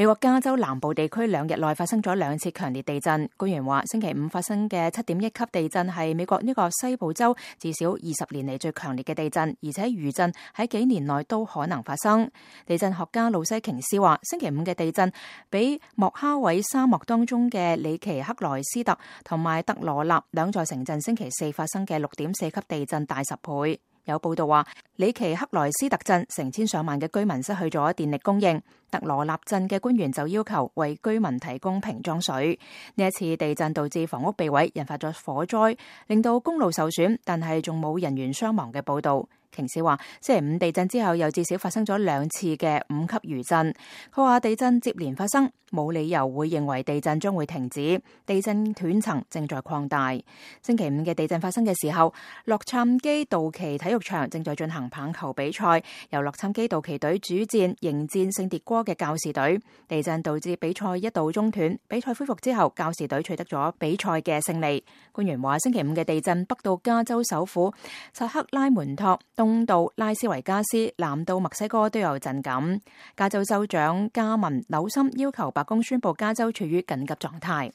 美國加州南部地區2日內發生咗2次強烈地震。官員話，星期五發生嘅7.1級地震係美國呢個西部州至少20年嚟最強烈嘅地震，而且餘震喺幾年內都可能發生。地震學家路西瓊斯話，星期五嘅地震比莫哈韋沙漠當中嘅里奇克萊斯特同埋特羅納兩座城鎮星期四發生嘅6.4級地震大10倍。有報道話，里奇克萊斯特鎮成千上萬嘅居民失去咗電力供應，特羅納鎮嘅官員就要求為居民提供瓶裝水。呢一次地震導致房屋被毀，引發咗火災，令到公路受損，但係仲冇人員傷亡嘅報道。瓊斯話，星期五地震之後又至少發生咗2次嘅5級餘震。佢話地震接連發生，冇理由會認為地震將會停止，地震斷層正在擴大。星期五嘅地震發生嘅時候，洛杉磯道奇體育場正在進行棒球比賽，由洛杉磯道奇隊主戰迎戰聖迭戈嘅教士隊。地震導致比賽一度中斷，比賽恢復之後，教士隊取得咗比賽嘅勝利。官員話，星期五嘅地震北到加州首府薩克拉門托，東到拉斯維加斯，南到墨西哥都有震感。加州州長加文紐森要求白宮宣布加州處於緊急狀態。